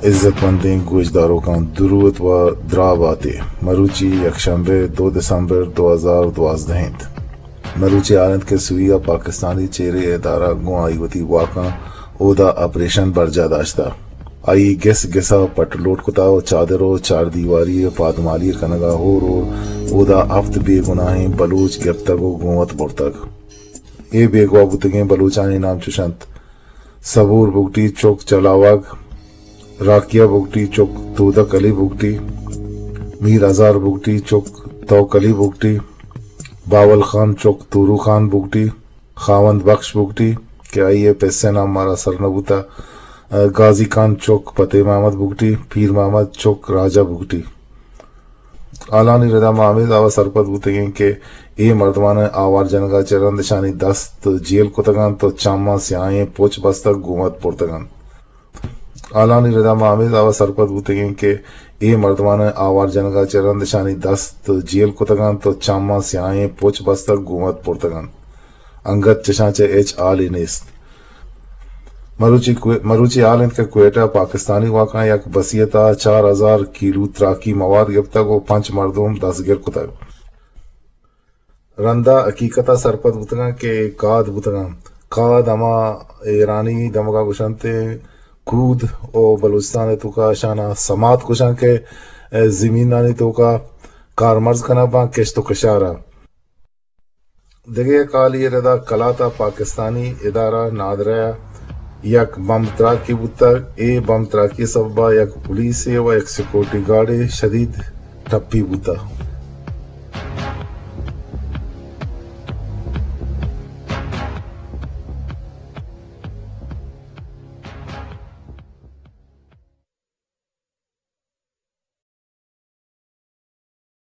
عزت مندیں گوشداروکاں، دروت و دراہ باتے۔ مروچی یکشنبے دو دسمبر دو ہزار دوازدہ انت۔ مروچی حال انت کہ سوری ءَ پاکستانی چیریں ادارہ گوں آئی وتی واکاں اودا آپریشن برجاہ داشتہ۔ آئی گس گس ءَ پٹ لوٹ کتہ و چادر و چاردیواری ءِ پادمالی ءِ کنگ ءَ ہور ہور اودا ہفت بے گناہیں بلوچ گپتگ و گوں وت برتگ۔ اے بیگواہ بوتگیں بلوچانی نام چش انت: صبور بگٹی چک چلاوگ، راکیہ بگٹی چک تودک علی بگٹی، میر ہزار بگٹی چک توک علی بگٹی، باول خان چک تورو خان بگٹی، خاوند بخش بگٹی کہ آئی ءِ پس ءِ نام مارا سر نہ بوتہ، غازی خان چک فتح محمد بگٹی، پیر محمد چک راجہ بگٹی۔ حالانی ردا ما ہمے دعوی سرپد بوتگیں کہ اے مردمان ءِ آوار جنگ ءَ چہ رند اشانی دست جیل کتگ انت و چماں سیاہیں پچ بستگ گوں وت برتگ انت۔ حالانی ردا ما ہمے دعوی سرپد بوتگیں کہ اے مردمان ءِ آوار جنگ ءَ چہ رند اشانی دست جیل کتگ انت و چماں سیاہیں پچ بستگ گوں وت برتگ انت۔ انگت چشاں چہ ہچ حالے نیست۔ مروچی کوئ-، مروچی حال انت کہ کوئٹہ ءَ پاکستانی واکاں یک بسیت ءَ چار ہزار کیلو تراکی مواد گپتگ و پنچ مردم دستگیر کتگ۔ رندا حقیقت ءَ سرپد بوتگاں کہ کاد بوتگاں۔ کاد ہما ایرانی دمگا گوشنت کود و بلوچستان ءِ توکا اشانا سمات گوشاں کہ زمینانی توکا کارمرز کنگ باں کشت و کشارا۔ دگہ یک حالی ءِ ردا کلات ءَ پاکستانی ادارہ نادرہ ءَ یک بمب تراکی بوتگ۔ اے بمب تراکی ءِ سبب ءَ یک پولیسے و یک سیکورٹی گارڈے شدید ٹپی بوتگ۔